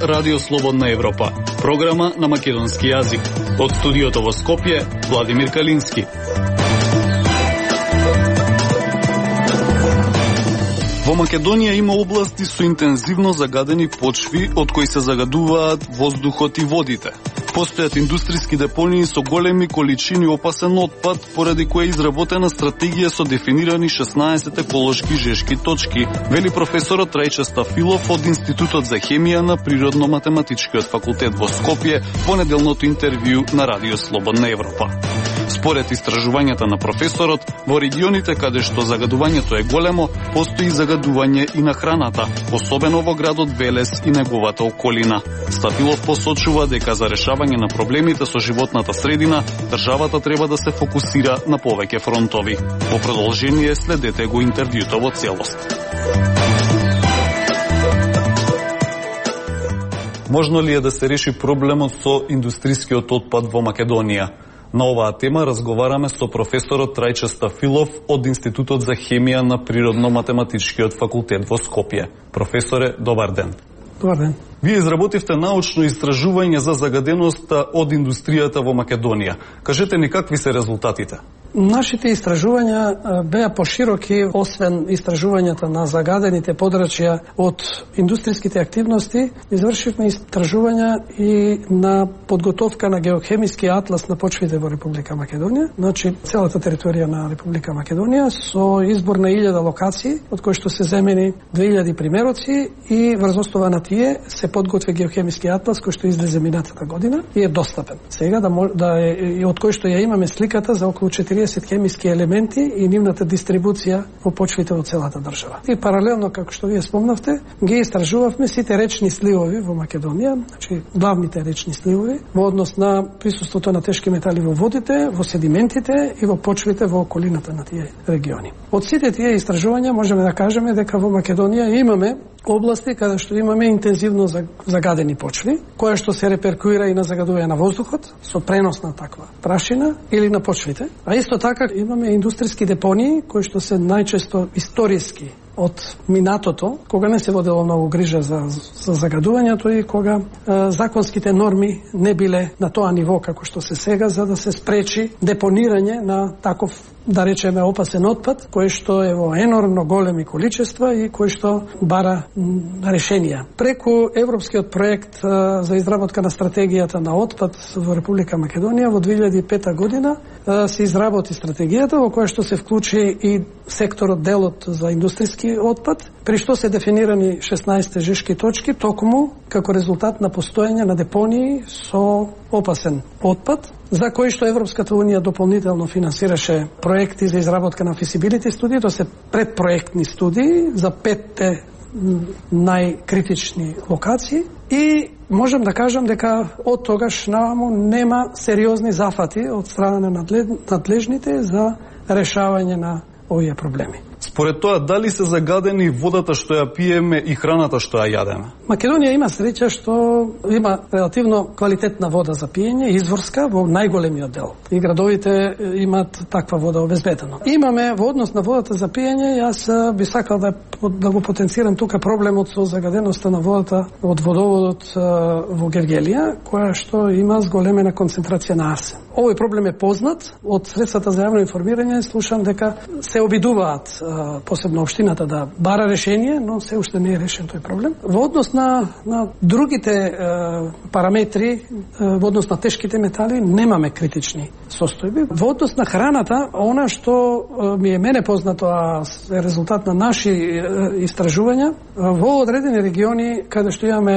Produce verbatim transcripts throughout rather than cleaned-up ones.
Радио Слободна Европа, програма на македонски јазик. Од студиото во Скопје, Владимир Калински. Во Македонија има области со интензивно загадени почви, од кои се загадуваат воздухот и водите. Постојат индустријски депонии со големи количини опасен отпад, поради која е изработена стратегија со дефинирани шеснаесет еколошки жешки точки, вели професорот Трајче Стафилов од Институтот за хемија на Природно-математичкиот факултет во Скопје во неделното интервју на Радио Слободна Европа. Според истражувањата на професорот, во регионите каде што загадувањето е големо, постои загадување и на храната, особено во градот Велес и неговата околина. Стафилов посочува дека за решавање на проблемите со животната средина, државата треба да се фокусира на повеќе фронтови. Во продолжение следете го интервјуто во целост. Можно ли е да се реши проблемот со индустријскиот отпад во Македонија? На оваа тема разговараме со професорот Трајче Стафилов од Институтот за хемија на Природно-математичкиот факултет во Скопје. Професоре, добар ден. Добар ден. Вие изработивте научно истражување за загаденоста од индустријата во Македонија. Кажете ни какви се резултатите? Нашите истражувања беа пошироки, освен истражувањата на загадените подрачја од индустријските активности, извршивме истражувања и на подготовка на геохемиски атлас на почвите во Република Македонија, значи целата територија на Република Македонија, со избор на илјада локации, од кои што се земени две илјади примероци, и врз основа на тие се подготви геохемиски атлас кој што излезе минатата година и е достапен. Сега да, да е, и од кој што ја имаме сликата за околу четириесет хемиски елементи и нивната дистрибуција во почвите во целата држава. И паралелно, како што вие спомнавте, ги истражувавме сите речни сливови во Македонија, значи главните речни сливови, во однос на присуството на тешки метали во водите, во седиментите и во почвите во околината на тие региони. Од сите тие истражувања можеме да кажеме дека во Македонија имаме области каде што имаме интензивно загадени почви, која што се реперкуира и на загадување на воздухот со пренос на таква прашина или на почвите. А исто така имаме индустријски депонии кои што се најчесто историски од минатото, кога не се водело многу грижа за, за загадувањето и кога е, законските норми не биле на тоа ниво како што се сега, за да се спречи депонирање на таков, да речеме, опасен отпад, кој што е во енормно големи количества и кој што бара решенија. Преку европскиот проект е, за изработка на стратегијата на отпад во Република Македонија во две илјади и пета година е, се изработи стратегијата во која што се вклучи и секторот, делот за индустријски отпад, при што се дефинирани шеснаесет жешки точки, токму како резултат на постоење на депонии со опасен отпад, за кои што Европската Унија дополнително финансираше проекти за изработка на feasibility студии, тоа се предпроектни студии за петте најкритични локации, и можем да кажам дека од тогаш наваму нема сериозни зафати од страна на надлежните за решавање на овие проблеми. Според тоа, дали се загадени водата што ја пиеме и храната што ја јадеме? Македонија има среќа што има релативно квалитетна вода за пиење, изворска во најголемиот дел. И градовите имаат таква вода обезбедено. Имаме во однос на водата за пиење, јас би сакал да, да го потенцирам тука проблемот со загаденоста на водата од водоводот во Гевгелија, која што има зголемена концентрација на арсен. Овој проблем е познат од средствата за јавно информирање, слушам дека се обидуваат посебно општината да бара решение, но се уште не е решен тој проблем. Во однос на, на другите е, параметри, е, во однос на тешките метали, немаме критични состојби. Во однос на храната, она што е, ми е мене познато, а е резултат на наши е, истражувања, во одредени региони каде што имаме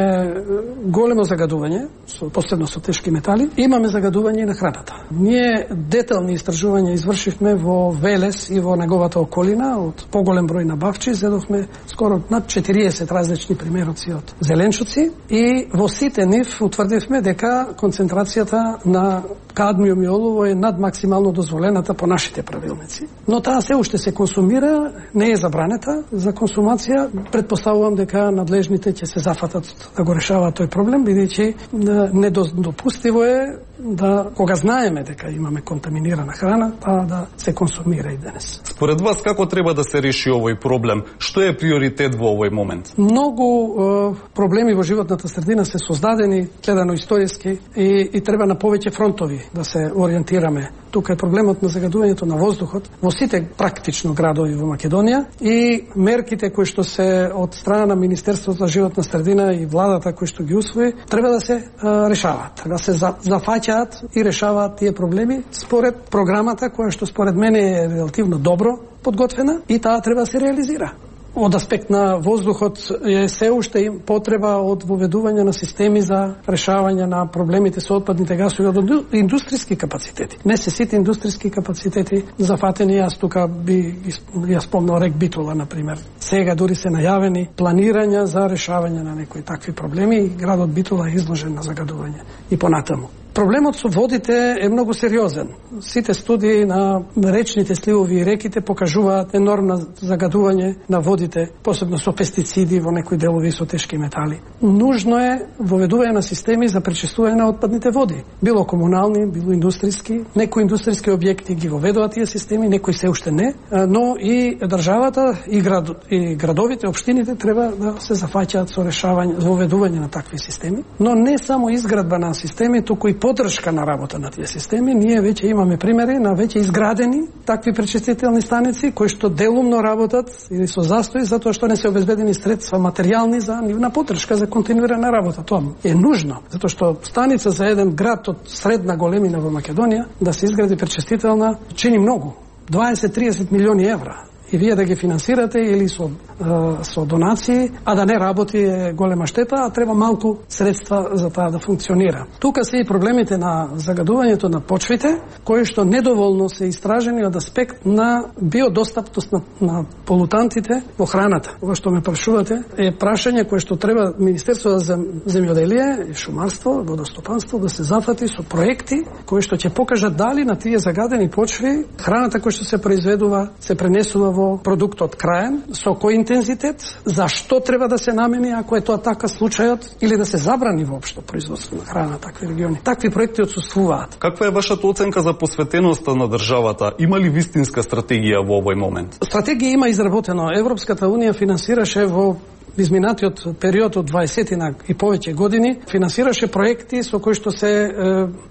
големо загадување, со, посебно со тешки метали, имаме загадување и на храната. Ние детални истражувања извршивме во Велес и во неговата околина, од поголем број набавчи, зедовме скоро над четириесет различни примероци од зеленчуци и во сите нив утврдивме дека концентрацијата на кадмиум и олово е над максимално дозволената по нашите правилници. Но таа се уште се консумира, не е забранета за консумација. Предпоставувам дека надлежните ќе се зафатат да го решаваат тој проблем, бидејќи недопустиво е да, кога знаеме дека имаме контаминирана храна, па да се консумира и денес. Според вас, како треба да се реши овој проблем? Што е приоритет во овој момент? Многу е, проблеми во животната средина се создадени, гледано историски, и, и треба на повеќе фронтови да се ориентираме. Тука е проблемот на загадувањето на воздухот во сите практично градови во Македонија и мерките кои што се од страна на Министерството за животна средина и владата кои што ги усвои, треба да се а, решаваат, треба да се за, зафаќаат и решаваат тие проблеми според програмата која што според мене е релативно добро подготвена и таа треба да се реализира. Од аспект на воздухот е се уште потреба од воведување на системи за решавање на проблемите со отпадните гасови од индустријски капацитети. Не се сите индустријски капацитети зафатени, јас тука би ја спомнал рек Битола, например. Сега дури се најавени планирања за решавање на некои такви проблеми и градот Битола е изложен на загадување и понатаму. Проблемот со водите е многу сериозен. Сите студии на речните сливови и реките покажуваат енормно загадување на водите, посебно со пестициди во некои делови со тешки метали. Нужно е воведување на системи за пречистување на отпадните води. Било комунални, било индустријски. Некои индустријски објекти ги воведуваат тие системи, некои се уште не, но и државата и, град, и градовите, општините треба да се зафаќаат со решавање, воведување на такви системи. Но не само изградба на системи, туку и поддршка на работа на тие системи. Ние веќе имаме примери на веќе изградени такви пречистителни станици кои што делумно работат или со застои затоа што не се обезбедени средства материјални за нивна поддршка за континуирана работа. Тоа е нужно, затоа што станица за еден град од средна големина во Македонија да се изгради пречистителна чини многу, дваесет до триесет милиони евра. И вие да ги финансирате или со, е, со донации, а да не работи е голема штета, а треба малку средства за таа да функционира. Тука се и проблемите на загадувањето на почвите, кои што недоволно се истражени од аспект на биодостапност на, на полутантите во храната. Ова што ме прашувате е прашање кое што треба Министерството за земјоделие и шумарство, водостопанство да се зафати со проекти кои што ќе покажат дали на тие загадени почви храната која што се произведува се пренесува во продуктот краен, со кој интензитет, зашто треба да се намени ако е тоа така случајот, или да се забрани воопшто производство на храна на такви региони. Такви проекти отсуствуваат. Каква е вашата оценка за посветеноста на државата? Има ли вистинска стратегија во овој момент? Стратегија има изработено. Европската унија финансираше во изминатиот период од дваесет и повеќе години, финансираше проекти со кои што се е,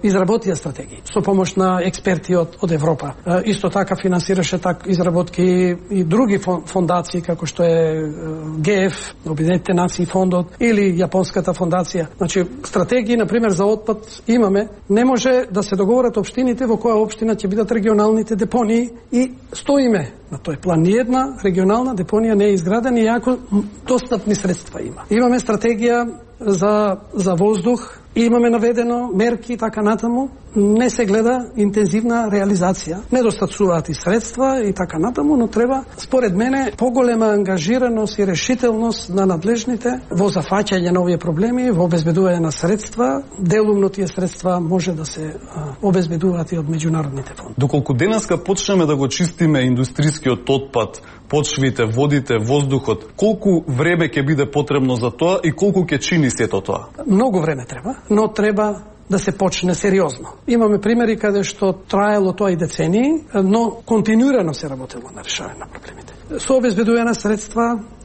изработија стратегии со помош на експерти од, од Европа. Е, исто така финансираше так изработки и други фондации како што е ГЕФ, Обединетите нации фондот или Јапонската фондација. Значи стратегии на пример за отпад имаме, не може да се договорат општините во која општина ќе бидат регионалните депонии и стоиме на тој план. Ни една регионална депонија не е изградена иако достатни средства има. Имаме стратегија за, за воздух, имаме наведено мерки и така натаму, не се гледа интензивна реализација. Недостатуваат и средства и така натаму, но треба, според мене, поголема ангажираност и решителност на надлежните во зафаќање на овие проблеми, во обезбедување на средства. Делумно тие средства може да се а, обезбедуваат и од меѓународните фондови. Доколку денеска почнеме да го чистиме индустријскиот отпад, почвите, водите, воздухот, колку време ќе биде потребно за тоа и колку ќе чини сето тоа? Многу време треба, но треба да се почне сериозно. Имаме примери каде што траело тоа и децении, но континуирано се работело на решавање на проблемите. Со обезбедување на средства,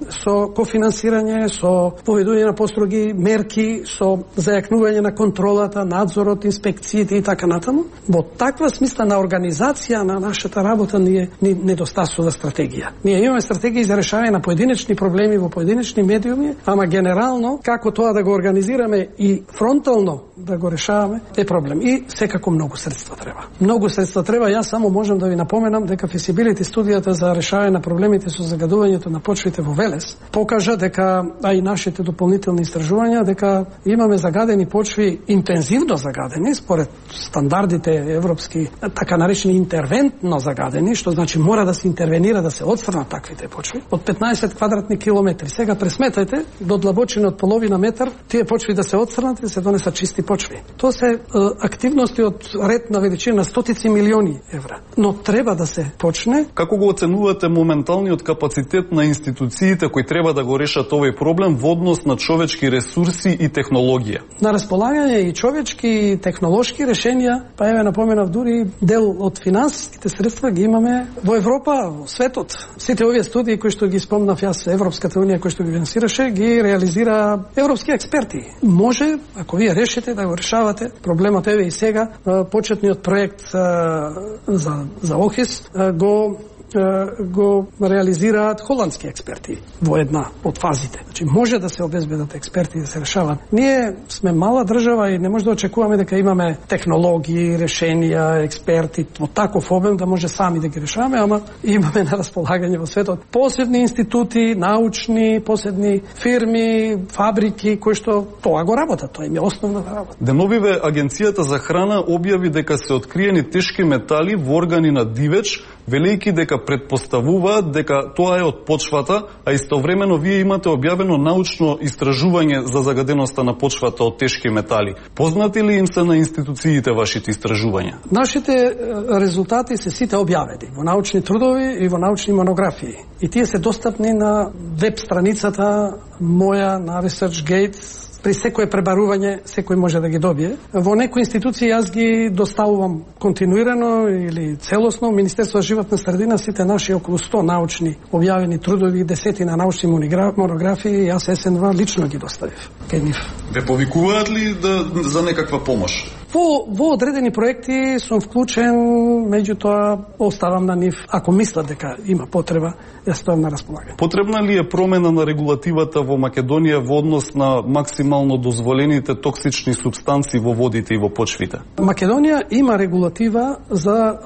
со кофинансирање, со поведување на построги мерки, со зајакнување на контролата, надзорот, инспекциите и така натаму. Во таква смисла на организација на нашата работа ние ни недостасува стратегија. Ние имаме стратегии за решавање на поединечни проблеми во поединечни медиуми, ама генерално како тоа да го организираме и фронтално да го решаваме е проблем. И секако многу средства треба. Многу средства треба. Јас само можам да ви напоменам дека feasibility студијата за решавање на проблемите со загадувањето на почвите во Велес покажа дека, а и нашите дополнителни истражувања, дека имаме загадени почви, интензивно загадени според стандардите европски, така наречени интервентно загадени, што значи мора да се интервенира да се отстрнат таквите почви од петнаесет квадратни километри. Сега пресметајте до длабочина од половина метар тие почви да се отстрнат и да се донесат чисти почви. Тоа се е, активности од ред на величина на стотици милиони евра. Но треба да се почне. Како го оценувате моментално материјалниот капацитет на институциите кои треба да го решат овој проблем во однос на човечки ресурси и технологија? На располагање и човечки и технолошки решенија, па еве напоменав дури дел од финансиските средства ги имаме во Европа, во светот. Сите овие студии кои што ги спомнав јас, Европската унија кој што ги финансираше, ги реализира европски експерти. Може, ако вие решите да го решавате проблемот, еве и сега почетниот проект за за ОХИС го го реализираат холандски експерти во една од фазите. Значи може да се обезбедат експерти да се решават. Ние сме мала држава и не може да очекуваме дека имаме технологии, решенија, експерти во таков обем да може сами да ги решаваме, ама имаме на располагање во светот посебни институти, научни, посебни фирми, фабрики кои што тоа го работат, тоа им е основна работа. Деновиве Агенцијата за храна објави дека се откриени тешки метали во органи на дивеч, велејќи дека предпоставуваат дека тоа е од почвата, а истовремено вие имате објавено научно истражување за загаденоста на почвата од тешки метали. Познати ли им се на институциите вашите истражувања? Нашите резултати се сите објавени во научни трудови и во научни монографии. И тие се достапни на веб страницата моја на ResearchGate. При секое пребарување, секој може да ги добие. Во некои институции јас ги доставувам континуирано или целосно. Министерство за животна средина, сите наши околу сто научни објавени трудови, десетина научни монографии, јас СНВ лично ги доставив кај нив. Ве повикуваат ли да, за некаква помош? Во, во одредени проекти сум вклучен, меѓутоа оставам на нив. Ако мислат дека има потреба, јас стојам на располагање. Потребна ли е промена на регулативата во Македонија во однос на максимално дозволените токсични супстанции во водите и во почвите? Македонија има регулатива за е,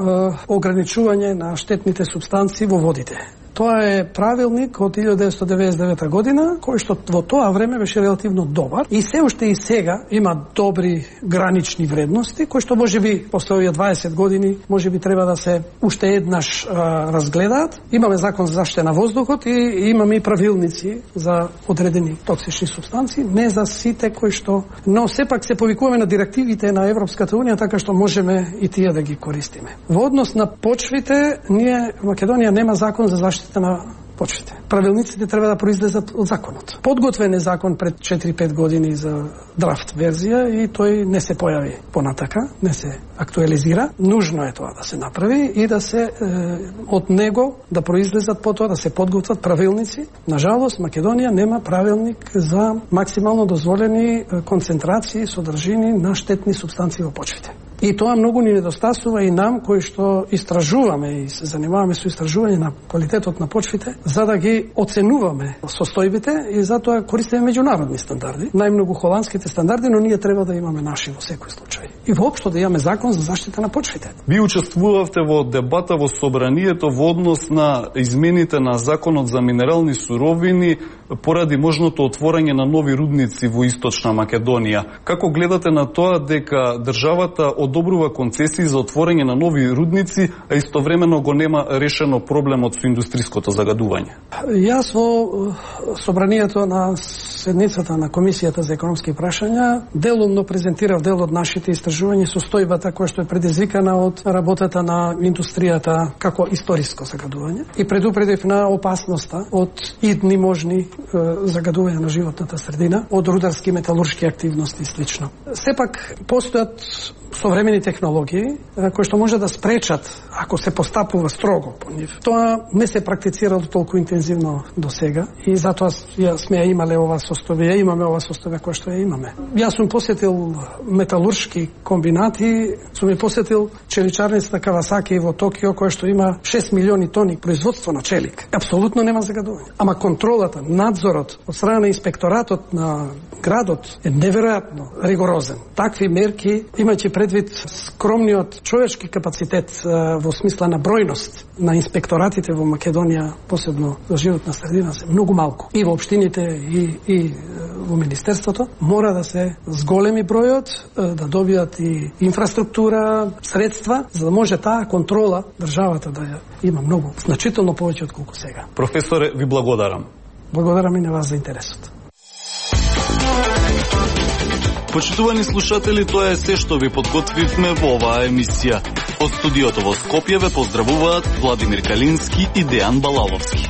ограничување на штетните супстанции во водите. Тоа е правилник од илјада деветстотини девеесет и девета година, кој што во тоа време беше релативно добар и се уште и сега има добри гранични вредности, кои што можеби после овие дваесет години можеби треба да се уште еднаш а, разгледаат. Имаме закон за заштита на воздухот и имаме и правилници за одредени токсични супстанции, не за сите кои што, но сепак се повикуваме на директивите на Европската унија, така што можеме и тие да ги користиме. Во однос на почвите, ние Македонија нема закон за заштита на почвите. Правилниците треба да произлезат од законот. Подготвен е закон пред четири-пет години за драфт верзија и тој не се појави понатака, не се актуализира. Нужно е тоа да се направи и да се е, од него да произлезат потоа да се подготват правилници. Нажалост, Македонија нема правилник за максимално дозволени концентрации, содржини на штетни супстанции во почвите. И тоа многу ни недостасува и нам кои што истражуваме и се занимаваме со истражување на квалитетот на почвите, за да ги оценуваме состојбите и затоа користиме меѓународни стандарди, најмногу холандските стандарди, но ние треба да имаме наши во секој случај. И воопшто да имаме закон за заштита на почвите. Ви учествувавте во дебата во собранието во однос на измените на законот за минерални суровини поради можното отворање на нови рудници во Источна Македонија. Како гледате на тоа дека државата одобрува концесии за отворање на нови рудници, а истовремено го нема решено проблемот со индустриското загадување? Јас во собранието на седницата на Комисијата за економски прашања делумно презентирав дел од нашите истражувања, состојбата која што е предизвикана од работата на индустријата како историско загадување и предупредив на опасноста од идни можни е, загадувања на животната средина, од рударски металуршки активности и слично. Сепак постојат современи технологии кои што може да спречат ако се постапува строго по нив. Тоа не се практицирало толку интензивно до сега и затоа ја сме ја имале ова состојба, ја имаме ова состојба која што ја имаме. Јас сум посетил металуршки комбинати, сум ја посетил челичарницата Кавасаки во Токио која што има шест милиони тони производство на челик. Апсолутно нема загадување. Ама контролата, надзорот од страна на инспекторатот на градот е неверојатно ригорозен. Такви мерки, имајќи предвид скромниот човечки капацитет во смисла на бројност на инспекторатите во Македонија, посебно за животна средина, се многу малку. И во општините и, и во Министерството мора да се зголеми бројот, да добијат и инфраструктура, средства, за да може таа контрола државата да ја има многу, значително повеќе од колку сега. Професоре, ви благодарам. Благодарам и на вас за интересот. Почитувани слушатели, тоа е се што ви подготвивме во оваа емисија. Од студиото во Скопје ве поздравуваат Владимир Калински и Дејан Балаловски.